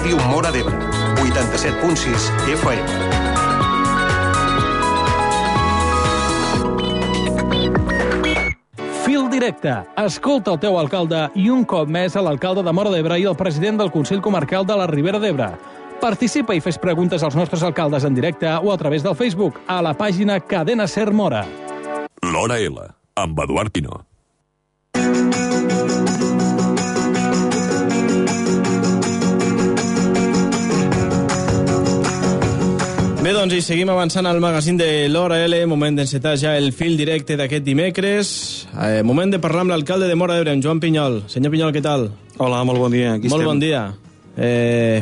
Ràdio Móra d'Ebre, 87.6 FM. Fil directe. Escolta el teu alcalde i un cop més a l'alcalde de Móra d'Ebre i el president del Consell Comarcal de la Ribera d'Ebre. Participa i fes preguntes als nostres alcaldes en directe o a través del Facebook a la pàgina Cadena Ser Móra. L'Hora L, amb Eduard Pinó. Bé, doncs, i seguim avançant al magazín de l'Hora L, moment d'encetar ja el fil directe d'aquest dimecres. Moment de parlar amb l'alcalde de Móra d'Ebre, en Joan Pinyol. Senyor Pinyol, què tal? Hola, molt bon dia. Aquí molt estem. bon dia.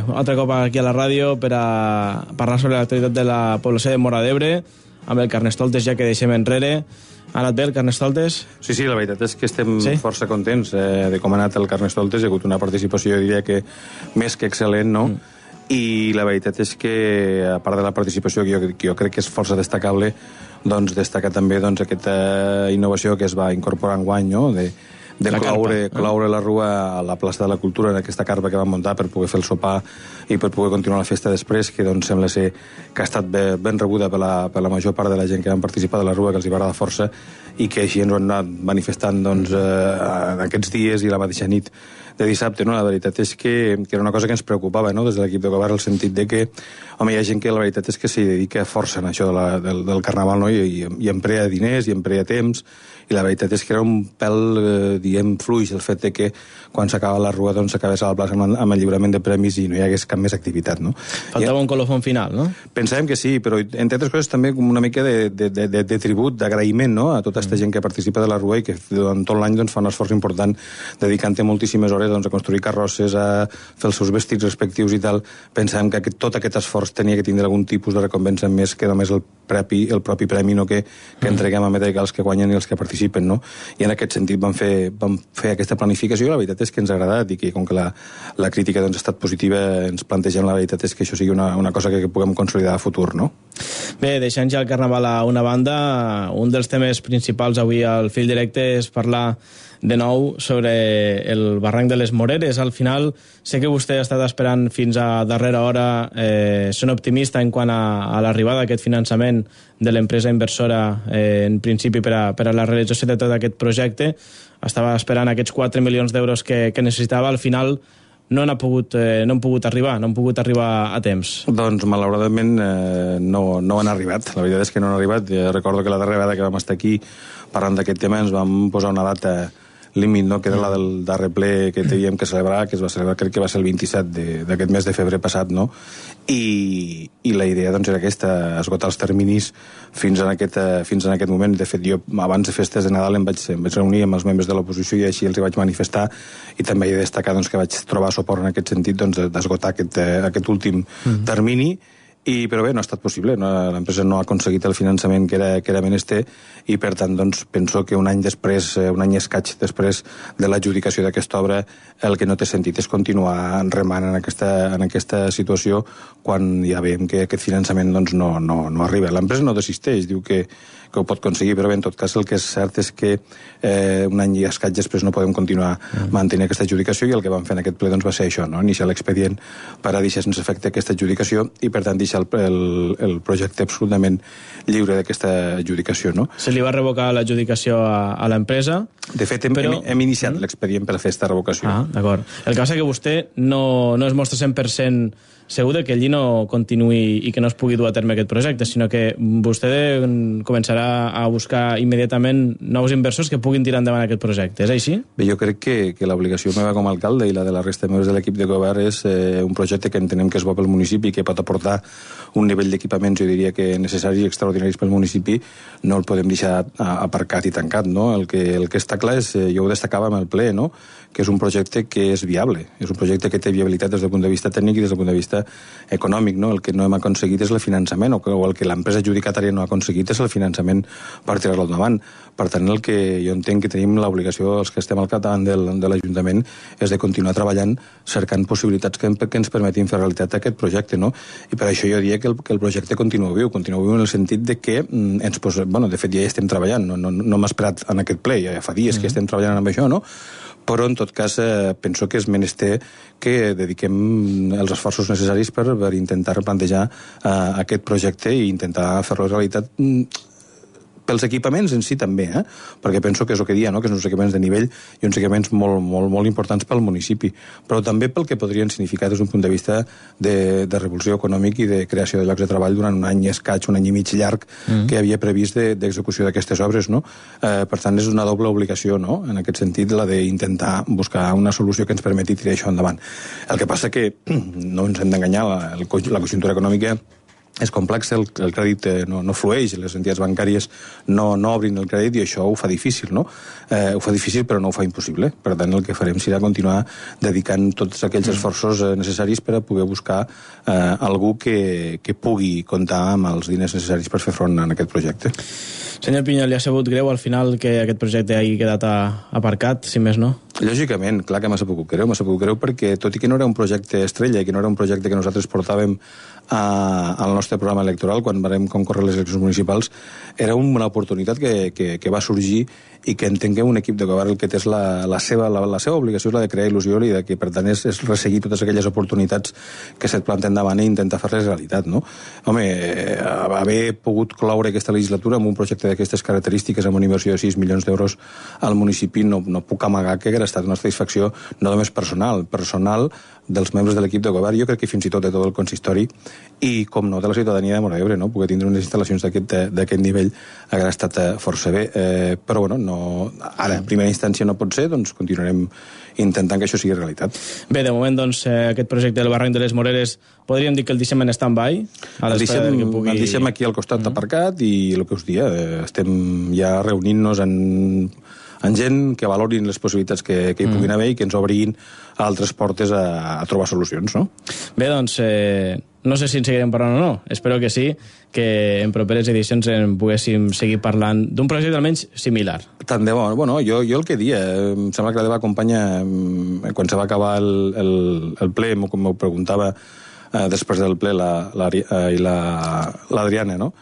Un altre cop aquí a la ràdio per a parlar sobre l'actualitat de la població de Móra d'Ebre, amb el Carnestoltes ja que deixem enrere. Ha anat bé el Carnestoltes? Sí, la veritat és que estem força contents de com ha anat el Carnestoltes. Hi ha hagut una participació, jo diria que més que excel·lent, no? I la veritat és que, a part de la participació, que jo crec que és força destacable, doncs destacar també aquesta innovació que es va incorporar enguany, no? de cloure la rua a la plaça de la Cultura, en aquesta carpa que vam muntar per poder fer el sopar i per poder continuar la festa després, que doncs sembla ser que ha estat ben rebuda per la major part de la gent que van participar de la rua, que els hi va agradar força, i que així ens ho han anat manifestant doncs, en aquests dies i la mateixa nit de dissabte, no? La veritat és que era una cosa que ens preocupava, no? Des de l'equip de govern, el sentit de que, home, hi ha gent que la veritat és que s'hi dedica força en això del carnaval, no? I emprea diners, i emprea temps, i la veritat és que era un pèl, diguem, fluix el fet de que quan s'acaba la rua doncs s'acabés a la plaça amb el lliurament de premis i no hi hagués cap més activitat, no? Faltava un colofon final, no? Pensàvem que sí, però entre altres coses també com una mica de tribut, d'agraïment, no? A tota aquesta gent que participa de la rua i que durant tot l'any doncs, fa un esforç important dedicant-hi moltíssimes hores doncs, a construir carrosses, a fer els seus vestits respectius i tal. Pensàvem que tot aquest esforç tenia que tindre algun tipus de recompensa més que només el propi premi, no? que entreguem a medalla els que guanyen i els que participen, no? I en aquest sentit vam fer aquesta planificació i la veritat és que ens ha agradat i que com que la crítica doncs, ha estat positiva, ens plantegem la veritat és que això sigui una cosa que puguem consolidar a futur, no? Bé, deixant ja el carnaval a una banda, un dels temes principals avui al fil directe és parlar de nou sobre el barranc de les Moreres. Al final, sé que vostè ha estat esperant fins a darrera hora, són optimista en quant a l'arribada d'aquest finançament de l'empresa inversora, en principi per a la realització de tot aquest projecte. Estava esperant aquests 4 milions d'euros que necessitava. Al final no han pogut arribar a temps. Doncs malauradament no han arribat. La veritat és que no han arribat. Recordo que la darrera vegada que vam estar aquí parlant d'aquest tema ens vam posar una data límit, no? Que era la del darrer ple que teníem que celebrar, que es va celebrar, crec que va ser el 27 d'aquest mes de febrer passat, no? I la idea doncs, era aquesta, esgotar els terminis fins en aquest moment. De fet, jo abans de festes de Nadal em vaig reunir amb els membres de l'oposició i així els hi vaig manifestar i també he de destacar doncs, que vaig trobar suport en aquest sentit doncs, d'esgotar aquest últim termini. Però bé, no ha estat possible, no? L'empresa no ha aconseguit el finançament que era menester i per tant doncs, penso que un any i escaig després de l'adjudicació d'aquesta obra el que no té sentit és continuar remant en aquesta situació quan ja veiem que aquest finançament doncs, no arriba. L'empresa no desisteix, diu que ho pot aconseguir, però bé, en tot cas el que és cert és que un any i escaig després no podem continuar mantenint aquesta adjudicació i el que vam fer en aquest ple doncs, va ser això, no? Iniciar l'expedient per a deixar sense efecte aquesta adjudicació i per tant deixar el projecte absolutament lliure d'aquesta adjudicació, no? Se li va revocar l'adjudicació a l'empresa. De fet, hem iniciat l'expedient per a fer aquesta revocació. D'acord. El que passa que vostè no es mostra 100% segur que allí no continuï i que no es pugui dur a terme aquest projecte, sinó que vostè començarà a buscar immediatament nous inversors que puguin tirar endavant aquest projecte. És així? Bé, jo crec que l'obligació meva com a alcalde i la de la resta de membres de l'equip de govern és un projecte que entenem que és bo pel municipi, que pot aportar un nivell d'equipaments, jo diria que necessaris i extraordinaris pel municipi, no el podem deixar aparcat i tancat, no? El que està clar és, jo ho destacava amb el ple, no? Que és un projecte que és viable, és un projecte que té viabilitat des del punt de vista tècnic i des del punt de vista econòmic, no? El que no hem aconseguit és el finançament, o el que l'empresa adjudicatària no ha aconseguit és el finançament per tirar-lo endavant. Per tant, el que jo entenc que tenim l'obligació, els que estem al capdavant de l'Ajuntament, és de continuar treballant, cercant possibilitats que ens permetin fer realitat aquest projecte, no? I per això jo diria que el projecte continua viu en el sentit de que de fet ja hi estem treballant, no m'ha esperat en aquest ple, ja fa dies que estem treballant amb això, no? Però en tot cas penso que és menester que dediquem els esforços necessaris per intentar plantejar aquest projecte i intentar fer-lo realitat pels equipaments en si també, perquè penso que és el que dia, no? Que són uns equipaments de nivell i uns equipaments molt, molt, molt importants pel municipi, però també pel que podrien significar des d'un punt de vista de revolució econòmic i de creació de llocs de treball durant un any escaig, un any i mig llarg que havia previst d'execució d'aquestes obres, no? Per tant, és una doble obligació, no? En aquest sentit, la d'intentar buscar una solució que ens permeti tirar això endavant. El que passa que no ens hem d'enganyar, la conjuntura econòmica és complex, el crèdit no flueix, les entitats bancàries no obrin el crèdit i això ho fa difícil, no? Ho fa difícil però no ho fa impossible. Per tant, el que farem serà continuar dedicant tots aquells esforços necessaris per a poder buscar algú que pugui comptar amb els diners necessaris per fer front a aquest projecte. Senyor Pinyol, li ha sabut greu al final que aquest projecte hagi quedat aparcat, si més no? Lògicament, clar que m'ha sabut greu perquè tot i que no era un projecte estrella i que no era un projecte que nosaltres portàvem al nostre programa electoral quan vam concórrer les eleccions municipals, era una oportunitat que va sorgir i que entenc que un equip de govern el que té és la seva obligació és la de crear il·lusió i de que per tant és resseguir totes aquelles oportunitats que se't planten davant i intentar fer-les realitat, no? Home, haver pogut cloure aquesta legislatura amb un projecte d'aquestes característiques amb una inversió de 6 milions d'euros al municipi no puc amagar que hagués estat una satisfacció no només personal dels membres de l'equip de govern, jo crec que fins i tot de tot el consistori i, com no, de la ciutadania de Móra d'Ebre, no? Poder tindre unes instal·lacions d'aquest nivell hagués estat força bé, però bueno, ara en primera instància no pot ser, doncs continuarem intentant que això sigui realitat. Bé, de moment, doncs, aquest projecte del barranc de les Moreres podríem dir que el deixem en stand-by? El deixem aquí al costat aparcat i el que us dia, estem ja reunint-nos en gent que valorin les possibilitats que hi puguin haver i que ens obrin altres portes a trobar solucions, no? Bé, doncs, no sé si en seguirem parlant o no. Espero que sí, que en properes edicions en poguéssim seguir parlant d'un projecte almenys similar. Tant de bo. Bueno, jo el que dia, em sembla que la meva companya, quan se va acabar el ple, com m'ho preguntava després del ple l'Adriana, no?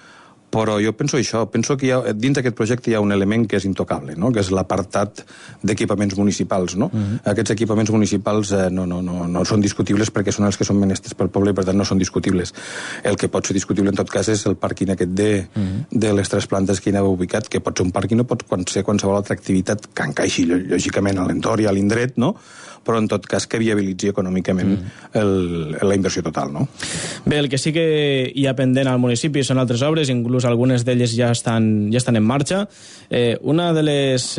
Però jo penso això, penso que dins d'aquest projecte hi ha un element que és intocable, no? Que és l'apartat d'equipaments municipals, no? Aquests equipaments municipals no són discutibles perquè són els que són menesters pel poble i per tant no són discutibles. El que pot ser discutible en tot cas és el pàrquing aquest de les 3 plantes que hi anava ubicat, que pot ser un pàrquing o pot ser qualsevol altra activitat que encaixi lògicament a l'entorn i a l'indret, no? Però en tot cas que viabilitzi econòmicament la inversió total, no? Bé, el que sí que hi ha pendent al municipi són altres obres, inclús algunes d'elles ja estan en marxa. Una de les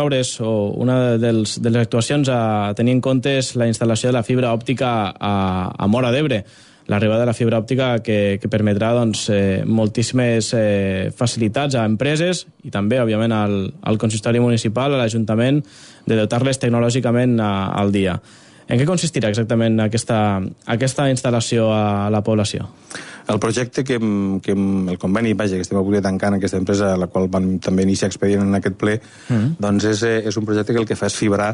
obres o una de les actuacions a tenir en compte és la instal·lació de la fibra òptica a Móra d'Ebre. L'arribada de la fibra òptica que permetrà moltíssimes facilitats a empreses i també, òbviament, al consistori municipal, a l'Ajuntament, de dotar-les tecnològicament al dia. En què consistirà exactament aquesta instal·lació a la població? El projecte el conveni, que estem a punt de tancar en aquesta empresa, la qual vam també iniciar expedient en aquest ple, doncs és un projecte que el que fa és fibrar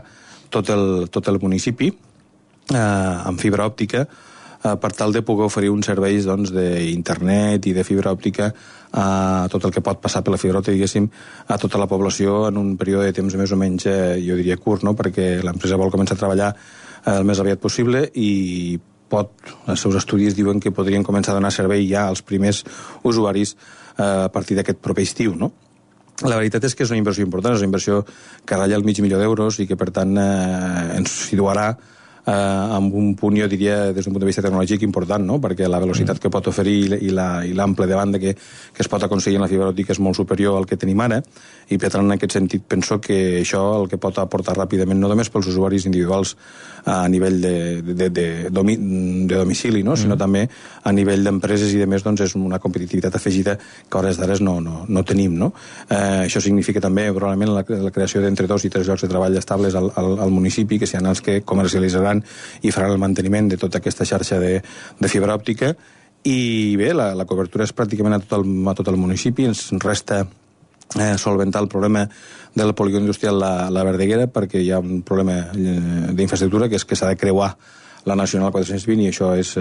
tot el municipi amb fibra òptica per tal de poder oferir uns serveis d'internet i de fibra òptica a tot el que pot passar per la fibra òptica, diguéssim, a tota la població en un període de temps més o menys, jo diria, curt, no? Perquè l'empresa vol començar a treballar el més aviat possible i els seus estudis diuen que podrien començar a donar servei ja als primers usuaris a partir d'aquest proper estiu, no? La veritat és que és una inversió important, és una inversió que ratlla el $500,000 i que, per tant, ens situarà amb un punt, jo diria, des d'un punt de vista tecnològic important, no? Perquè la velocitat que pot oferir i l'ample de banda que es pot aconseguir en la fibra òptica és molt superior al que tenim ara i, per tant, en aquest sentit, penso que això el que pot aportar ràpidament, no només pels usuaris individuals a nivell de domicili, no? Sinó també a nivell d'empreses i de més, doncs és una competitivitat afegida que a hores d'ara no tenim, no? Això significa també, probablement, la creació d'entre 2 i 3 llocs de treball estables al municipi, que seran els que comercialitzaran i faran el manteniment de tota aquesta xarxa de fibra òptica. I bé, la cobertura és pràcticament a tot el municipi. Ens resta solventar el problema del polígon industrial la Verdaguera, perquè hi ha un problema d'infraestructura, que és que s'ha de creuar la Nacional 420, i això és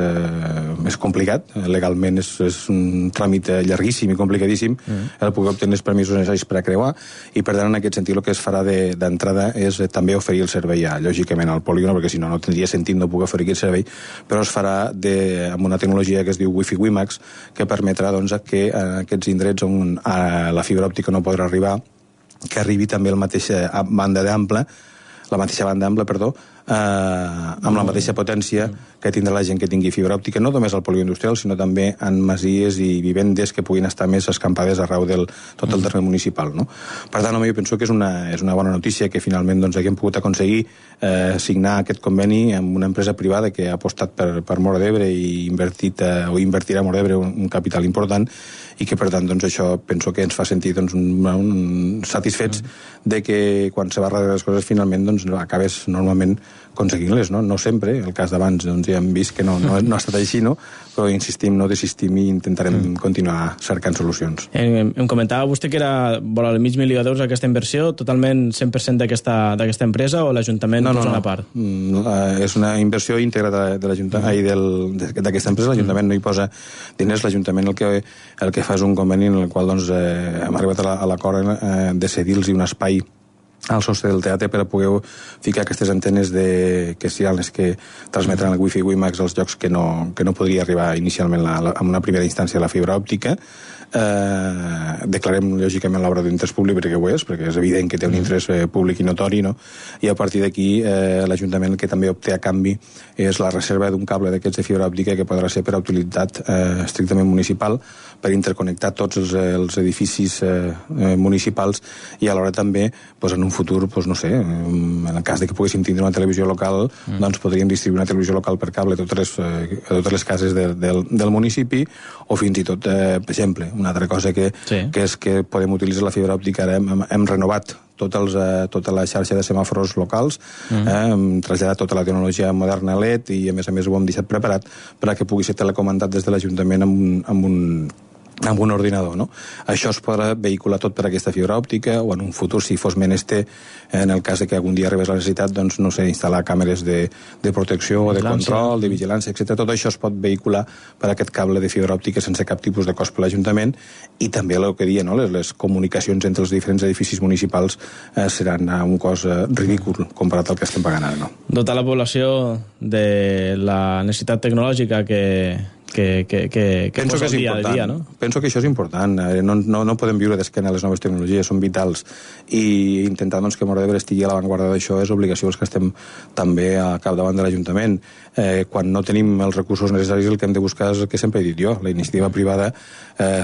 complicat. Legalment és un tràmit llarguíssim i complicadíssim el poder obtenir els permisos necessaris per a creuar, i per tant en aquest sentit el que es farà d'entrada és també oferir el servei lògicament al polígon, perquè si no tindria sentit no poder oferir aquest servei, però es farà amb una tecnologia que es diu Wi-Fi WiMAX, que permetrà doncs, que en aquests indrets on la fibra òptica no podrà arribar, que arribi també la mateixa banda ampla, amb la mateixa potència que tindrà la gent que tingui fibra òptica, no només al polígon industrial, sinó també en masies i vivendes que puguin estar més escampades arreu tot el terme municipal. No? Per tant, jo penso que és una bona notícia que finalment doncs, haguem pogut aconseguir signar aquest conveni amb una empresa privada que ha apostat per Móra d'Ebre i invertirà a Móra d'Ebre un capital important, i que per tant doncs, això penso que ens fa sentir doncs, satisfets de que quan se va darrere les coses finalment doncs, acabes normalment aconseguint-les, no? No sempre, el cas d'abans doncs, ja hem vist que no ha estat així, no? Però insistim, no desistim i intentarem continuar cercant solucions. Em comentava vostè que era vora el $500.000 aquesta inversió, totalment 100% d'aquesta empresa, o l'Ajuntament posa una part? És una inversió íntegra d'aquesta empresa, l'Ajuntament no hi posa diners, l'Ajuntament el que fa és un conveni en el qual doncs, hem arribat a l'acord de cedir-los un espai al sostre del teatre per a poder ficar aquestes antenes que seran les que transmetran el Wi-Fi WiMAX als llocs que no podria arribar inicialment en una primera instància la fibra òptica. Declarem lògicament l'obra d'interès públic perquè ho és, perquè és evident que té un interès públic i notori, no? I a partir d'aquí l'Ajuntament el que també obté a canvi és la reserva d'un cable d'aquests de fibra òptica que podrà ser per a utilitat estrictament municipal, per interconnectar tots els edificis municipals, i alhora també en un futur, no sé, en el cas de que poguéssim tindre una televisió local, doncs podríem distribuir una televisió local per cable a totes les cases del municipi, o fins i tot, per exemple, una altra cosa que és que podem utilitzar la fibra òptica. Ara hem renovat tota la xarxa de semàfors locals, hem traslladat tota la tecnologia moderna LED, i a més ho hem deixat preparat per a que pugui ser telecomandat des de l'Ajuntament amb un ordinador, no? Això es podrà vehicular tot per aquesta fibra òptica, o en un futur, si fos menester, en el cas de que algun dia arribés la necessitat, doncs, no sé, instal·lar càmeres de protecció, o de control, de vigilància, etc. Tot això es pot vehicular per aquest cable de fibra òptica sense cap tipus de cost per l'Ajuntament, i també el que deia, no? Les comunicacions entre els diferents edificis municipals seran a un cost ridícul comparat al que estem pagant ara, no? Dotar la població de la necessitat tecnològica que penso que és important, dia, no? Penso que això és important. No podem viure d'esquena a les noves tecnologies, són vitals, i intentar doncs, que Móra d'Ebre estigui a l'avantguarda d'això és obligació dels que estem també a capdavant de l'Ajuntament. Quan no tenim els recursos necessaris, el que hem de buscar és el que sempre he dit jo, la iniciativa privada,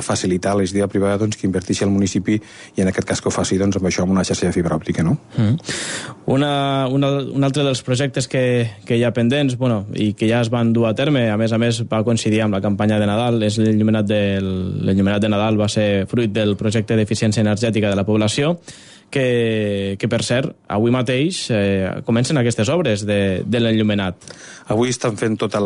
facilitar la iniciativa privada doncs, que inverteixi al municipi, i en aquest cas que ho faci doncs, amb això, amb una xarxa de fibra òptica, no? Un altre dels projectes que hi ha pendents, i que ja es van dur a terme, a més va coincidir amb la campanya de Nadal, és l'enllumenat de Nadal, va ser fruit del projecte d'eficiència energètica de la població, que per cert, avui mateix comencen aquestes obres de l'enllumenat. Avui estan fent tot el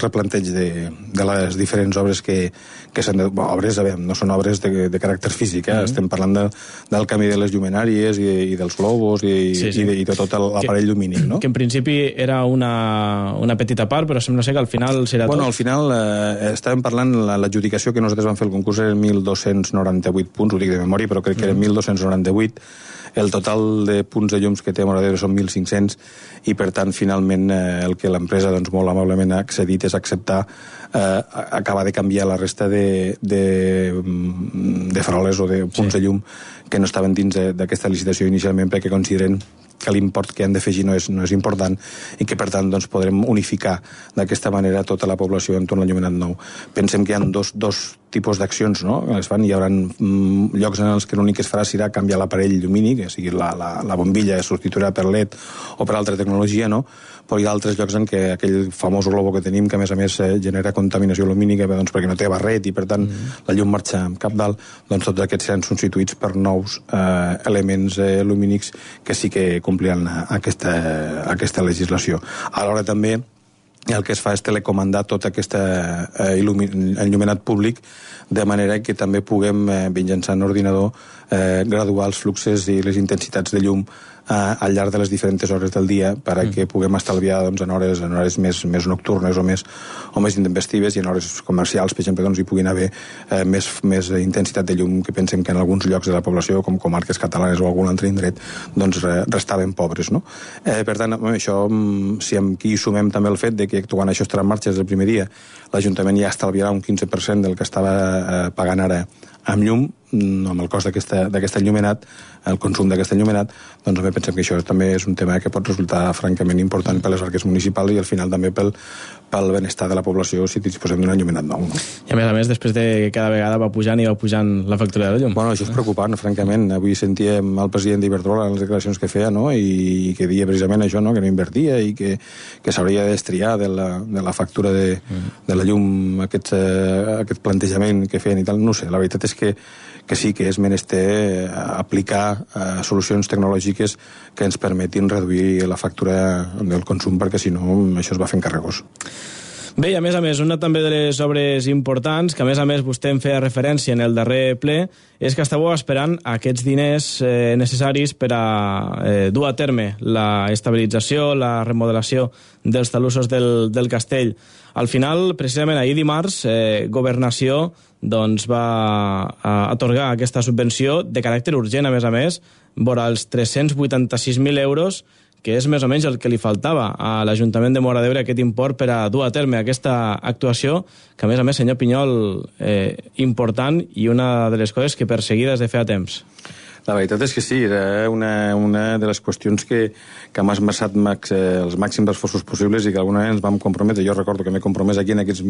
replanteig de les diferents obres que s'han de... Obres, no són obres de caràcter físic, estem parlant del canvi de les llumenàries i dels globus i de tot l'aparell lumínic, no? Que en principi era una petita part, però sembla ser que al final serà tot. Al final estàvem parlant, l'adjudicació que nosaltres vam fer el concurs eren 1.298 punts, ho dic de memòria, però crec que eren 1.298. El total de punts de llums que té Móra d'Ebre són 1.500, i per tant finalment el que l'empresa doncs, molt amablement ha accedit és acceptar acabar de canviar la resta de faroles o de punts de llum que no estaven dins d'aquesta licitació inicialment, perquè consideren que l'import que han d'afegir no és important, i que per tant doncs, podrem unificar d'aquesta manera tota la població entorn a l'enllumenat nou. Pensem que hi ha dos tipus d'accions, no? Es fan, hi haurà llocs en els que l'únic que es farà serà canviar l'aparell lumínic, que sigui la bombilla es substituirà per LED o per altra tecnologia, no? Però hi ha altres llocs en què aquell famós globo que tenim, que a més genera contaminació lumínica, doncs, perquè no té barret i per tant la llum marxa cap dalt, doncs tots aquests seran substituïts per nous elements lumínics que sí que compliran aquesta legislació. Alhora també i el que es fa és telecomandar tot aquest enllumenat públic, de manera que també puguem, mitjançant ordinador, graduar els fluxes i les intensitats de llum al llarg de les diferents hores del dia perquè puguem estalviar en hores més nocturnes o més intempestives, i en hores comercials, per exemple, hi puguin haver més intensitat de llum, que pensem que en alguns llocs de la població, com comarques catalanes o algun altre indret, restaven pobres, no? Per tant, això, si aquí sumem també el fet de que quan això estarà en marxa des del primer dia, l'Ajuntament ja estalviarà un 15% del que estava pagant ara amb llum, amb el cost d'aquest enllumenat, el consum d'aquest enllumenat, doncs també pensem que això també és un tema que pot resultar francament important per les arques municipals i al final també pel benestar de la població si disposem d'un enllumenat nou. No? I a més, després de que cada vegada va pujant la factura de la llum. Bueno, això és preocupant, francament. Avui sentíem el president d'Iberdrola en les declaracions que feia, no? I que deia precisament això, no? Que no invertia i que s'hauria d'estriar de la factura de la llum aquest plantejament que feien i tal. No sé, la veritat és que sí que és menester aplicar solucions tecnològiques que ens permetin reduir la factura del consum, perquè si no això es va fent carregós. Bé, i a més, una també de les obres importants, que a més vostè en feia referència en el darrer ple, és que estàveu esperant aquests diners necessaris per a dur a terme la estabilització, la remodelació dels talussos del castell. Al final, precisament ahir dimarts, Governació va atorgar aquesta subvenció de caràcter urgent, a més, vora els 386.000 euros, que és més o menys el que li faltava a l'Ajuntament de Móra d'Ebre, aquest import per a dur a terme aquesta actuació, que a més, senyor Pinyol, important i una de les coses que perseguida des de feia temps. La veritat és que sí, era una de les qüestions que m'ha esmerçat els màxims esforços possibles i que alguna vegada ens vam comprometre. Jo recordo que m'he compromès aquí en aquests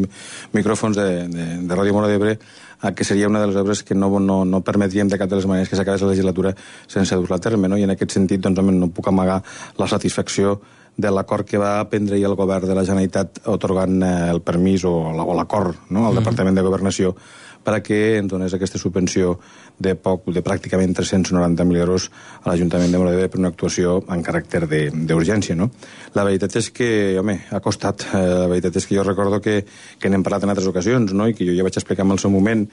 micròfons de Ràdio Móra d'Ebre que seria una de les obres que no permetríem de cap de les maneres que s'acabés la legislatura sense dur-la a terme, no? I en aquest sentit no puc amagar la satisfacció de l'acord que va prendre el govern de la Generalitat atorgant el permís o l'acord, no? Al Departament de Governació perquè ens donés aquesta subvenció de pràcticament 390.000 euros a l'Ajuntament de Móra d'Ebre per una actuació en caràcter d'urgència, no? La veritat és que, ha costat. La veritat és que jo recordo que n'hem parlat en altres ocasions, no? I que jo ja vaig explicar en el seu moment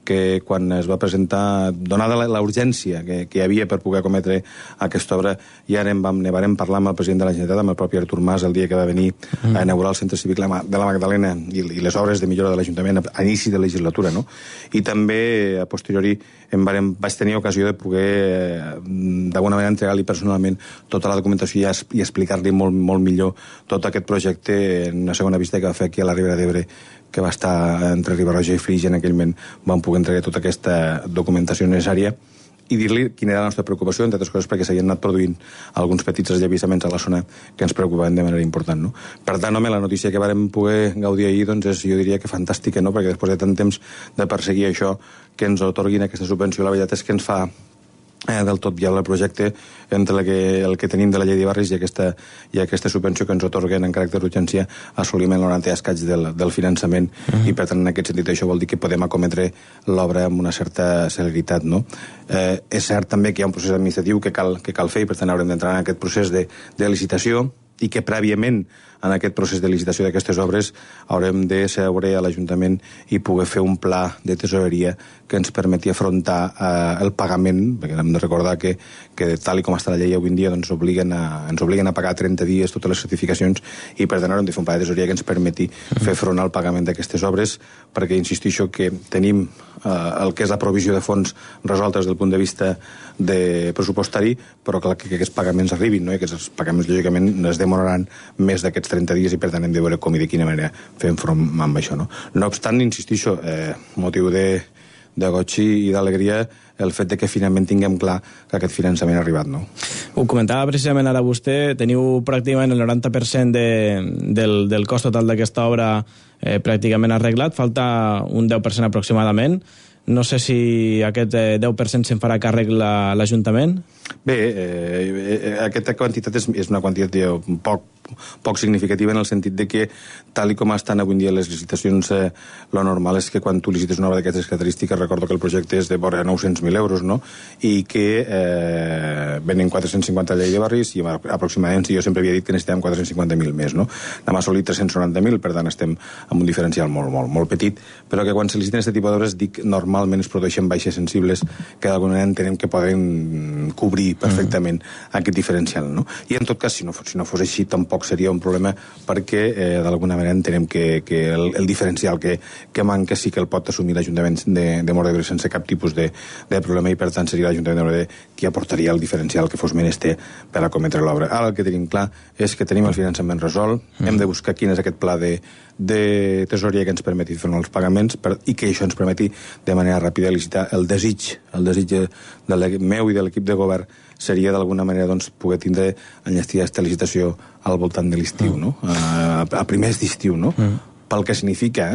que quan es va presentar, donada la urgència que hi havia per poder cometre aquesta obra, ja ne varem parlar amb el president de la Generalitat, amb el propi Artur Mas, el dia que va venir a inaugurar el Centre Cívic de la Magdalena i les obres de millora de l'Ajuntament a inici de legislatura, no? I també, a posteriori, vaig tenir ocasió de poder, d'alguna manera, entregar-li personalment tota la documentació i explicar-li molt millor tot aquest projecte en una segona visita que va fer aquí a la Ribera d'Ebre, que va estar entre Riba-roja i Flix, i en aquell moment vam poder entregar tota aquesta documentació necessària i dir-li quina era la nostra preocupació, entre altres coses perquè s'havien anat produint alguns petits esllevissaments a la zona que ens preocupaven de manera important, no? Per tant, la notícia que vàrem poder gaudir ahir, és, jo diria que fantàstica, no? Perquè després de tant temps de perseguir això, que ens atorguin aquesta subvenció, la veritat és que ens fa del tot viable el projecte entre el que tenim de la llei de barris i aquesta subvenció que ens atorguen en caràcter d'urgència assoliment el 90 escaig del finançament i per tant en aquest sentit això vol dir que podem acometre l'obra amb una certa celeritat, no? És cert també que hi ha un procés administratiu que cal fer i per tant haurem d'entrar en aquest procés de licitació i que prèviament en aquest procés de licitació d'aquestes obres haurem de seure a l'Ajuntament i poder fer un pla de tesoreria que ens permeti afrontar el pagament, perquè hem de recordar que tal com està la llei avui en dia ens obliguen a pagar 30 dies totes les certificacions i per tant haurem de fer un pla de tesoreria que ens permeti fer front al pagament d'aquestes obres, perquè insistixo que tenim el que és la provisió de fons resolta des del punt de vista pressupostari, però clar que aquests pagaments arribin, no? I aquests pagaments lògicament es demoraran més d'aquests 30 dies i per tant hem de veure com i de quina manera fem front amb això, no? No obstant, insistixo, motiu de goig i d'alegria el fet de que finalment tinguem clar que aquest finançament ha arribat, no? Ho comentava precisament ara vostè, teniu pràcticament el 90% del cost total d'aquesta obra pràcticament arreglat, falta un 10% aproximadament. No sé si aquest 10% se'n farà càrrec l'Ajuntament? Bé, aquesta quantitat és una quantitat poc poc significativa en el sentit de que, tal i com estan avui en dia les licitacions, lo normal és que quan tu licites una obra d'aquestes característiques, recordo que el projecte és de vora 900.000 euros, no? I que venen 450 a llei de barris i aproximadament, jo sempre havia dit que necessitàvem 450.000 més, no? Anem a assolir 390.000, per tant estem amb un diferencial molt petit, però que quan se liciten aquest tipus d'obres, dic, normalment es produeixen baixes sensibles que d'alguna manera entenem que poden cobrir perfectament aquest diferencial, no? I en tot cas, si no fos així, tampoc seria un problema perquè d'alguna manera entenem que el diferencial que manca sí que el pot assumir l'Ajuntament de Móra d'Ebre sense cap tipus de problema i per tant seria l'Ajuntament de Móra d'Ebre qui aportaria el diferencial que fos menester per a cometre l'obra. Ara el que tenim clar és que tenim el finançament resolt, hem de buscar quin és aquest pla de tesoreria que ens permeti fer els pagaments i que això ens permeti de manera ràpida licitar. El desig meu i de l'equip de govern seria d'alguna manera doncs, poder tindre enllestir aquesta licitació al voltant de l'estiu, no? A primers d'estiu, no? Pel que significa,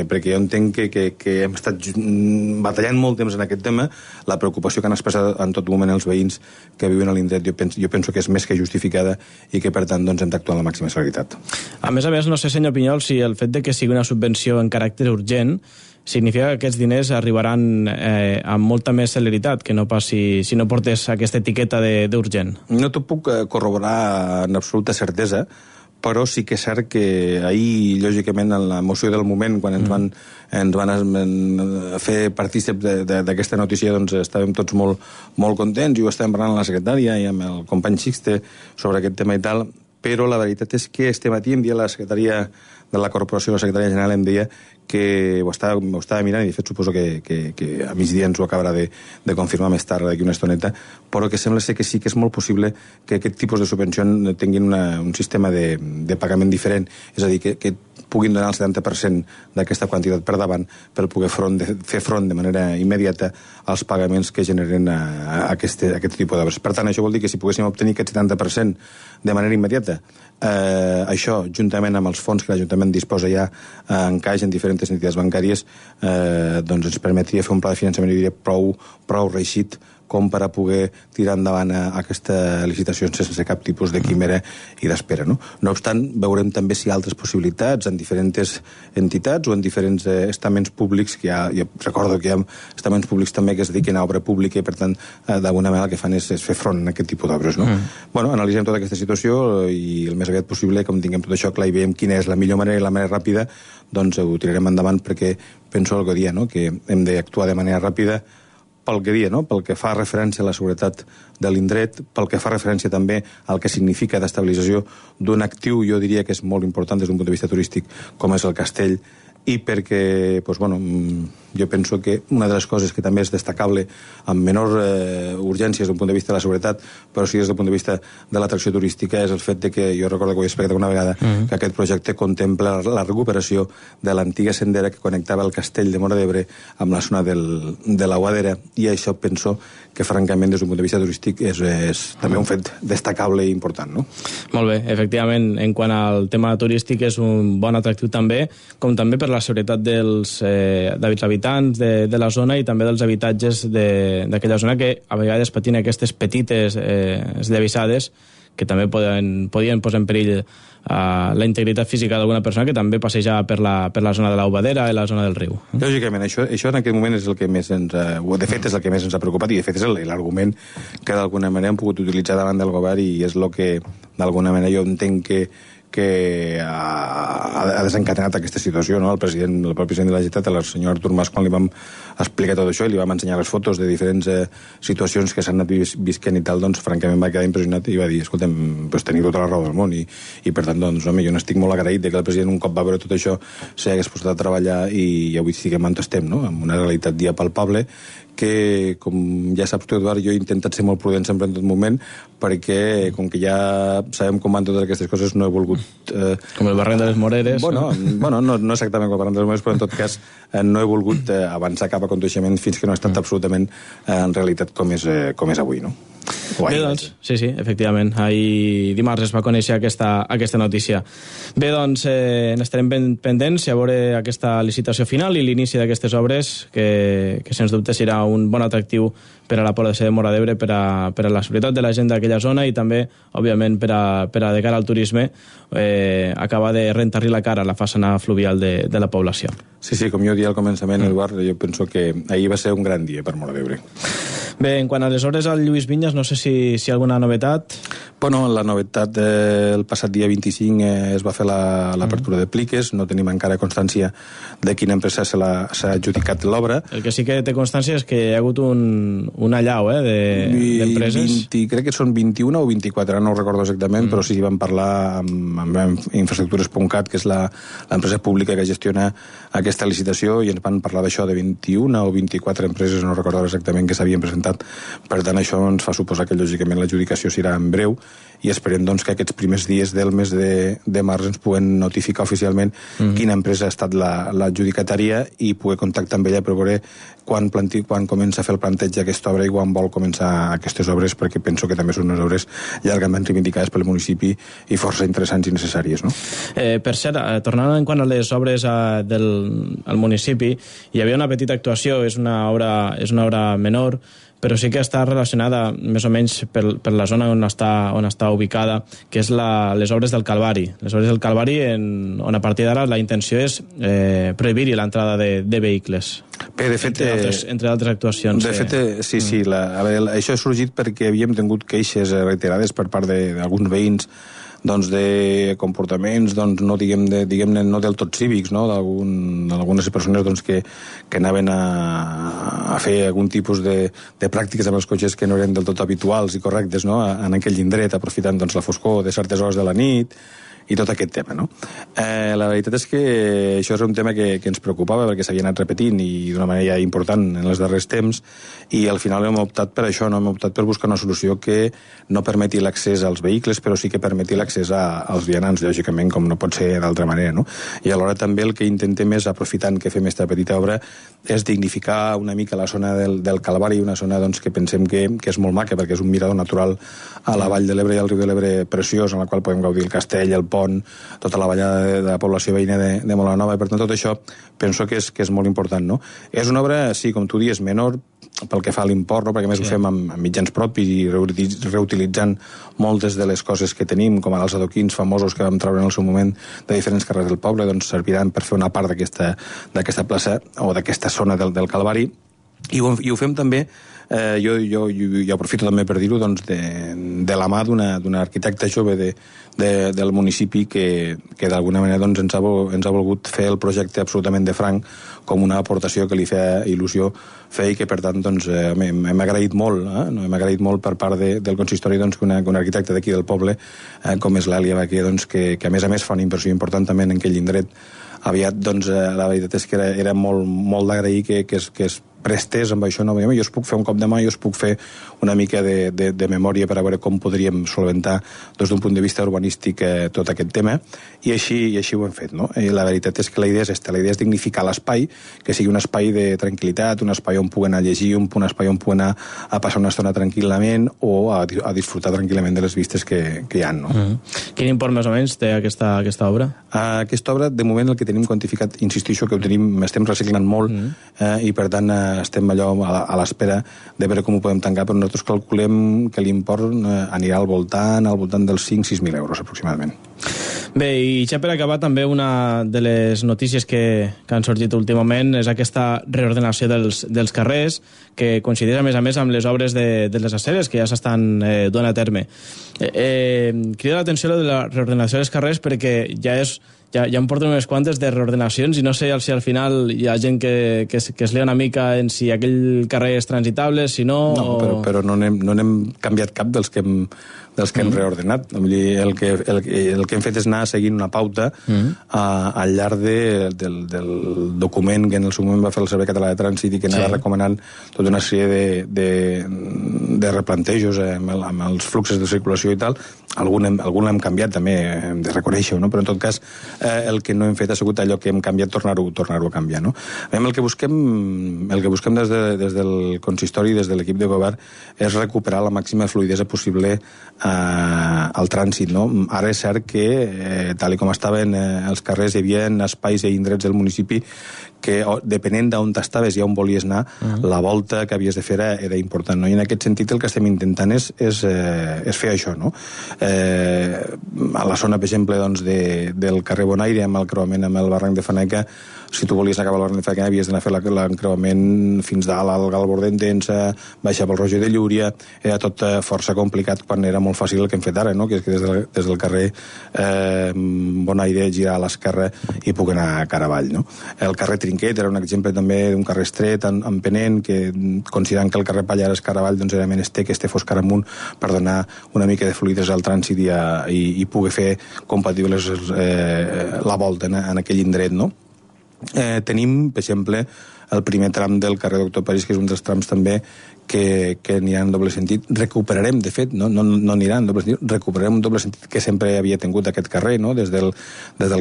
perquè jo entenc que hem estat batallant molt temps en aquest tema, la preocupació que han expressat en tot moment els veïns que viuen a l'indret jo penso que és més que justificada i que per tant doncs, hem d'actuar amb la màxima celeritat. A més, no sé, senyor Pinyol, si el fet de que sigui una subvenció en caràcter urgent significa que aquests diners arribaran amb molta més celeritat que no pas si no portés aquesta etiqueta d'urgent. No t'ho puc corroborar en absoluta certesa, però sí que és cert que ahir, lògicament, en l'emoció del moment, quan ens van fer partícip d'aquesta notícia, doncs estàvem tots molt contents i ho estàvem parlant amb la secretària i amb el company Sixte sobre aquest tema i tal, però la veritat és que este matí em dia la secretària de la corporació, la secretària general, em deia que ho estava mirant i de fet suposo que a migdia ens ho acabarà de confirmar més tard d'aquí una estoneta, però que sembla ser que sí que és molt possible que aquest tipus de subvenció tinguin un sistema de pagament diferent, és a dir, que puguin donar el 70% d'aquesta quantitat per davant per poder fer front de manera immediata als pagaments que generen aquest tipus d'obres. Per tant, això vol dir que si poguéssim obtenir aquest 70% de manera immediata, això, juntament amb els fons que l'Ajuntament disposa ja en caix en diferents entitats bancàries, doncs ens permetria fer un pla de finançament, jo diria, prou reeixit com per a poder tirar endavant aquesta licitació sense cap tipus de quimera i d'espera, no? No obstant, veurem també si hi ha altres possibilitats en diferents entitats o en diferents estaments públics, que jo recordo que hi ha estaments públics també que es dediquen a obra pública i per tant d'alguna manera el que fan és fer front a aquest tipus d'obres, no? Bueno, analitzem tota aquesta situació i el més aviat possible, com tinguem tot això clar i veiem quina és la millor manera i la manera ràpida, doncs ho tirarem endavant perquè penso el que dia, no? Que hem d'actuar de manera ràpida pel que dia, no? Pel que fa referència a la seguretat de l'indret, pel que fa referència també al que significa d'estabilització d'un actiu, jo diria que és molt important des d'un punt de vista turístic, com és el castell, i perquè, doncs, bueno, jo penso que una de les coses que també és destacable amb menor urgència des d'un punt de vista de la seguretat, però sí des del punt de vista de l'atracció turística, és el fet de que, jo recordo que ho he explicat una vegada, que aquest projecte contempla la recuperació de l'antiga sendera que connectava el castell de Móra d'Ebre amb la zona de la Guadera, i això penso que francament des d'un punt de vista turístic és també un fet destacable i important, no? Molt bé, efectivament, en quant al tema turístic és un bon atractiu també, com també per la seguretat dels habitants de la zona i també dels habitatges d'aquella zona que a vegades patien aquestes petites esllavissades que també podien posar en perill la integritat física d'alguna persona que també passejava per la zona de l'Aubadera i la zona del riu. Lògicament, això en aquest moment és el que més de fet és el que més ens ha preocupat i de fet és l'argument que d'alguna manera hem pogut utilitzar davant del govern i és el que d'alguna manera jo entenc que ha desencadenat aquesta situació, no? El propi president de la Generalitat, el senyor Artur Mas, quan li vam explicar tot això i li vam ensenyar les fotos de diferents situacions que s'han anat visquent i tal, doncs francament va quedar impressionat i va dir, escolta'm, doncs teniu tota la raó del món i per tant, doncs, home, jo n'estic molt agraït de que el president un cop va veure tot això s'hagués posat a treballar i avui estiguem on estem, no? Amb una realitat dia palpable que, com ja saps tu, Eduard, jo he intentat ser molt prudent sempre en tot moment perquè, com que ja sabem com van totes aquestes coses, no he volgut... Com el barranc de les Moreres. Bueno, no exactament com el barranc de les Moreres, però en tot cas no he volgut avançar cap a coneixement fins que no ha estat absolutament en realitat com és avui, no? Bé, doncs, sí, efectivament. Ahir dimarts es va conèixer aquesta notícia. Bé, doncs, n'estarem ben pendents a veure aquesta licitació final i l'inici d'aquestes obres, que sens dubte serà un bon atractiu per a la població de Móra d'Ebre, per a la seguretat de la gent d'aquella zona i també, òbviament, per a de cara al turisme, acabar de rentar-li la cara a la façana fluvial de la població. Sí, com jo dia al començament, Eduard, jo penso que ahir va ser un gran dia per Móra d'Ebre. Bé, en quant a les obres al Lluís Vinyes, no sé si hi ha alguna novetat. Bueno, la novetat el passat dia 25 es va fer l'apertura de pliques, no tenim encara constància de quina empresa s'ha adjudicat l'obra. El que sí que té constància és que hi ha hagut un allau d'empreses. Crec que són 21 o 24, ara no ho recordo exactament, però sí vam parlar amb infraestructures.cat, que és l'empresa pública que gestiona aquesta licitació, i ens van parlar d'això, de 21 o 24 empreses, no recordo exactament, que s'havien presentat. Per tant, això ens fa suposar que lògicament l'adjudicació serà en breu i esperem doncs, que aquests primers dies del mes de març ens puguen notificar oficialment quina empresa ha estat l'adjudicatària i poder contactar amb ella per veure quan comença a fer el planteig d'aquesta obra i quan vol començar aquestes obres, perquè penso que també són unes obres llargament reivindicades pel municipi i força interessants i necessàries. No? Per cert, tornant en quant a les obres al municipi, hi havia una petita actuació, és una obra menor, però sí que està relacionada més o menys per la zona on està ubicada, que és les obres del Calvari. Les obres del Calvari on a partir d'ara la intenció és prohibir-hi l'entrada de vehicles. Bé, de fet, entre altres actuacions. De fet, sí, això ha sorgit perquè havíem tingut queixes reiterades per part d'alguns veïns doncs de comportaments no diguem-ne no del tot cívics, no? d'algunes persones doncs, que anaven a fer algun tipus de pràctiques amb els cotxes que no eren del tot habituals i correctes, no? En aquell indret, aprofitant doncs, la foscor de certes hores de la nit i tot aquest tema, no? La veritat és que això és un tema que ens preocupava perquè s'havia anat repetint i d'una manera important en els darrers temps, i al final hem optat per això, no? Hem optat per buscar una solució que no permeti l'accés als vehicles, però sí que permeti l'accés als vianants, lògicament, com no pot ser d'altra manera, no? I alhora també el que intentem és, aprofitant que fem aquesta petita obra, és dignificar una mica la zona del Calvari, una zona doncs, que pensem que és molt maca, perquè és un mirador natural a la vall de l'Ebre i al riu de l'Ebre preciós, en la qual podem gaudir el castell, el pont, tota la vallada de la població veïna de Molanova, i per tant tot això penso que és molt important, no? És una obra, sí, com tu dius, menor pel que fa a l'import, no? Perquè a més ho fem amb mitjans propis i reutilitzant moltes de les coses que tenim, com els adoquins famosos que vam treure en el seu moment de diferents carrers del poble, doncs serviran per fer una part d'aquesta plaça o d'aquesta zona del Calvari, i ho fem també, jo aprofito també per dir-ho, doncs, de la mà d'un arquitecte jove del municipi que d'alguna manera doncs, ens ha volgut fer el projecte absolutament de franc, com una aportació que li feia il·lusió fer, i que per tant doncs, hem agraït molt, hem agraït molt per part del consistori doncs, que un arquitecte d'aquí del poble, com és l'Èlia Baquer, doncs, que a més fa una inversió important també en aquell indret. Aviat, doncs, la veritat és que era molt d'agrair que es prestés amb això. No? Jo us puc fer un cop de mà, jo us puc fer una mica de memòria per a veure com podríem solventar des d'un punt de vista urbanístic tot aquest tema, i així ho hem fet. No? I la veritat és que la idea és dignificar l'espai, que sigui un espai de tranquil·litat, un espai on puguen anar a llegir, un espai on puguen anar a passar una estona tranquil·lament o a disfrutar tranquil·lament de les vistes que hi ha. No? Quin import més o menys té aquesta obra? Aquesta obra, de moment, el que tenim quantificat, insistixo que estem reciclant molt, i per tant estem allò a l'espera de veure com ho podem tancar, però nosaltres calculem que l'import anirà al voltant dels 5.000-6.000 euros aproximadament. Bé, i ja per acabar, també una de les notícies que han sorgit últimament és aquesta reordenació dels carrers, que coincideix a més amb les obres de les aceres que ja s'estan donant a terme. Crida l'atenció de la reordenació dels carrers perquè ja em porten unes quantes de reordenacions i no sé si al final hi ha gent que es lia una mica en si aquell carrer és transitable, si no... No, però no n'hem canviat cap dels que hem reordenat. El que hem fet és anar seguint una pauta al llarg del document que en el seu moment va fer el Servei Català de Trànsit i que anava recomanant tota una sèrie de replantejos amb els fluxos de circulació i tal, algun l'hem canviat també, hem de reconèixer-ho, no? Però en tot cas el que no hem fet ha sigut allò que hem canviat, tornar-ho a canviar, no? El que busquem des del consistori, des de l'equip de govern, és recuperar la màxima fluidesa possible al trànsit, no? Ara és cert que, tal com estaven els carrers, hi havia espais i indrets del municipi que, depenent d'on estaves i on volies anar, la volta que havies de fer era important, no? I en aquest sentit el que estem intentant és fer això, no? A la zona, per exemple, doncs, del carrer Bonaire, amb el creuament amb el barranc de Faneca, si tu volies anar cap al barranc de Faneca havies d'anar a fer l'encreuament fins dalt al Galbord d'Entença, baixar pel Roger de Llúria, era tot força complicat quan era molt fàcil el que hem fet ara, no? Que és que des del carrer Bonaire girar a l'esquerra i puc anar cara avall, no? El carrer Trinquet era un exemple també d'un carrer estret, en penent, que considerant que el carrer Pallars és cara avall, doncs era menester que este fos cara amunt per donar una mica de fluidesa al trànsit i poder fer compatibles la volta en aquell indret, no? Tenim, per exemple, el primer tram del carrer Doctor París, que és un dels trams també que anirà en doble sentit. Recuperarem, de fet, no anirà en doble sentit, recuperarem un doble sentit que sempre havia tingut aquest carrer, no? Des del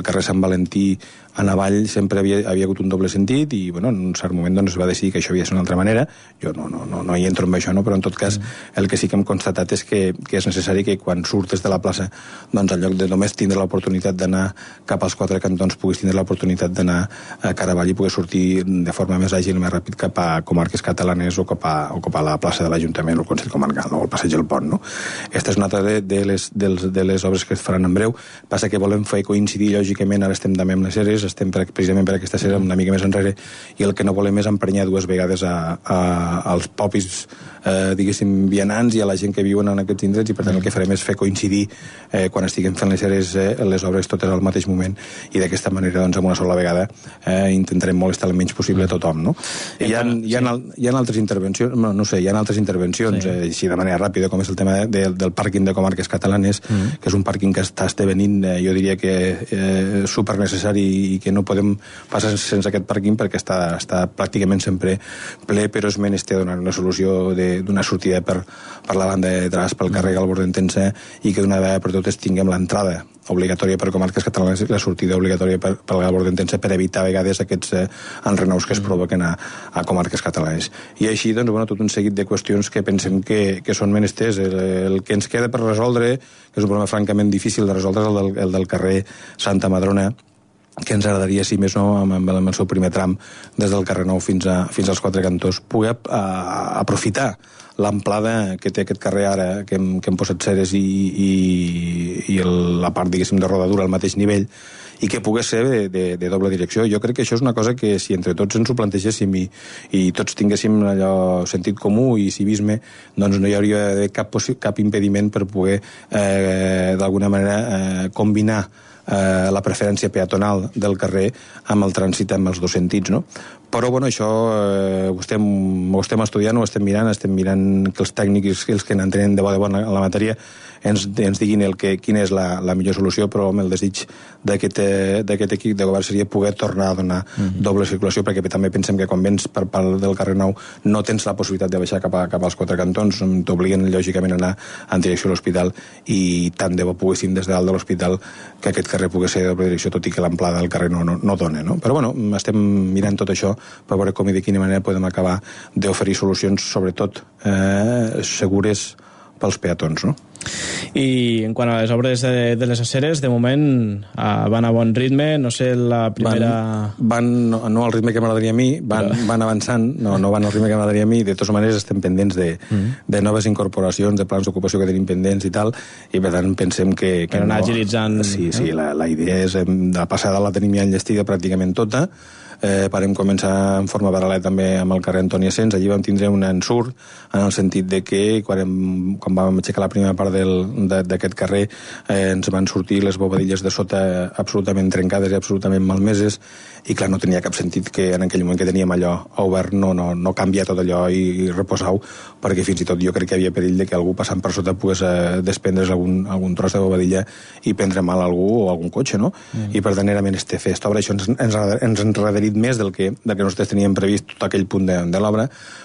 carrer Sant Valentí en avall sempre havia hagut un doble sentit i, bueno, en un cert moment doncs, es va decidir que això havia de ser d'una altra manera. Jo no hi entro en això, no? Però en tot cas el que sí que hem constatat és que és necessari que quan surtes de la plaça, doncs en lloc de només tindre l'oportunitat d'anar cap als quatre cantons, puguis tindre l'oportunitat d'anar a cara avall i poder sortir de forma més àgil i més ràpid cap a comarques catalanes o cap a la plaça de l'Ajuntament o el Consell Comarcal, no? O el Passeig del Pont, no? Aquesta és una altra de les obres que es faran en breu. Passa que volem fer coincidir, lògicament, ara estem també amb les Ceres, estem precisament per aquesta Cera una mica més enrere, i el que no volem és emprenyar dues vegades als popis, diguéssim, vianants i a la gent que viuen en aquests indrets, i per tant el que farem és fer coincidir quan estiguem fent les Ceres les obres totes al mateix moment, i d'aquesta manera, doncs, amb una sola vegada intentarem molestar el menys possible a tothom, no? Hi ha altres intervencions, no sé, hi ha altres intervencions, així de manera ràpida, com és el tema del pàrquing de comarques catalanes, que és un pàrquing que està esdevenint, jo diria que super necessari i que no podem passar sense aquest pàrquing perquè està pràcticament sempre ple, però és menester donar una solució d'una sortida per la banda de Tras, pel carrer Galbord d'Entença, i que d'una vegada per totes tinguem l'entrada obligatòria per comarques catalanes i la sortida obligatòria per Galbord d'Entença, per evitar a vegades aquests enrenaus que es provoquen a comarques catalanes. I així, doncs, bueno, tot un seguit de qüestions que pensem que són menesters. El que ens queda per resoldre, que és un problema francament difícil de resoldre, és el del carrer Santa Madrona, que ens agradaria, si més no, amb el seu primer tram, des del carrer Nou fins als quatre cantons, poder aprofitar l'amplada que té aquest carrer ara, que hem posat Ceres i la part, diguéssim, de rodadura al mateix nivell, i que pogués ser de doble direcció. Jo crec que això és una cosa que, si entre tots ens ho plantegéssim i tots tinguéssim allò sentit comú i civisme, doncs no hi hauria cap impediment per poder, d'alguna manera, combinar la preferència peatonal del carrer amb el trànsit amb els dos sentits, no? Però, bueno, això ho estem estudiant, ho estem mirant que els tècnics, els que n'entenen de bona en la matèria, ens diguin quina és la millor solució, però amb el desig d'aquest equip de govern seria poder tornar a donar doble circulació, perquè també pensem que quan vens per part del carrer Nou no tens la possibilitat de baixar cap als quatre cantons, t'obliguen lògicament a anar en direcció a l'hospital, i tant de bo poguéssim des de dalt de l'hospital que aquest carrer pogués ser de doble direcció, tot i que l'amplada del carrer no dona, no? Però, bueno, estem mirant tot això per veure com i de quina manera podem acabar d'oferir solucions, sobretot segures pels peatons, no? I en quant a les obres de les aceres, de moment van a bon ritme, no sé, la primera... No al ritme que m'agradaria a mi, van avançant, no van al ritme que m'agradaria a mi, de totes maneres estem pendents de noves incorporacions, de plans d'ocupació que tenim pendents i tal, i per tant pensem que per anar agilitzant... Sí, la idea és, de passada la tenim ja enllestida pràcticament tota. Vam començar en forma paral·lela també amb el carrer Antoni Asens. Allí vam tindre un ensurt en el sentit de que quan vam aixecar la primera part d'aquest carrer ens van sortir les bobadilles de sota absolutament trencades i absolutament malmeses, i clar, no tenia cap sentit que en aquell moment que teníem allò obert no canviar tot allò i reposar-ho, perquè fins i tot jo crec que hi havia perill de que algú passant per sota pogués desprendre's algun tros de bobadilla i prendre mal a algú o algun cotxe, no? I per tant era menester fer esta obra. Això ens enrederit més del que nosaltres teníem previst tot aquell punt de l'obra,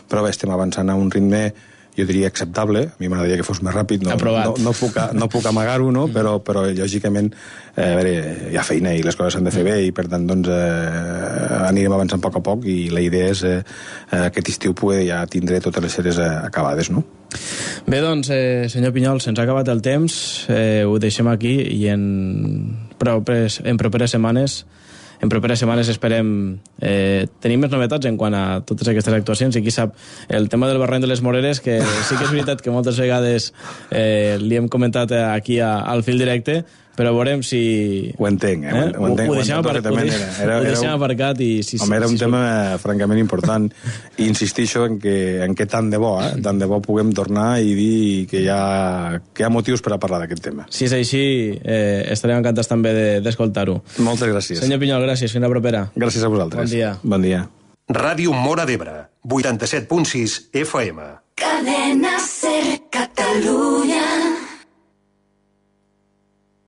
però bé, estem avançant a un ritme, jo diria acceptable, a mi m'agradaria que fos més ràpid, no puc amagar-ho, no? Però lògicament a veure, hi ha feina i les coses s'han de fer bé i per tant doncs, anirem avançant a poc i la idea és aquest estiu poder ja tindre totes les sèries acabades, no? Bé, doncs, senyor Pinyol, se'ns ha acabat el temps, ho deixem aquí i en properes setmanes esperem tenir més novetats en quant a totes aquestes actuacions i qui sap, el tema del barranc de les Moreres, que sí que és veritat que moltes vegades li hem comentat aquí al fil directe, però veurem si... Ho entenc, ho entenc. Ho deixem aparcat i... Home, era un tema francament important i insistixo en que tant de bo puguem tornar i dir que hi ha motius per a parlar d'aquest tema. Si és així, estarem encantats també d'escoltar-ho. Moltes gràcies. Senyor Pinyol, gràcies. Fins la propera. Gràcies a vosaltres. Bon dia. Bon dia. Ràdio Móra d'Ebre, 87.6 FM. Cadena Ser Catalunya.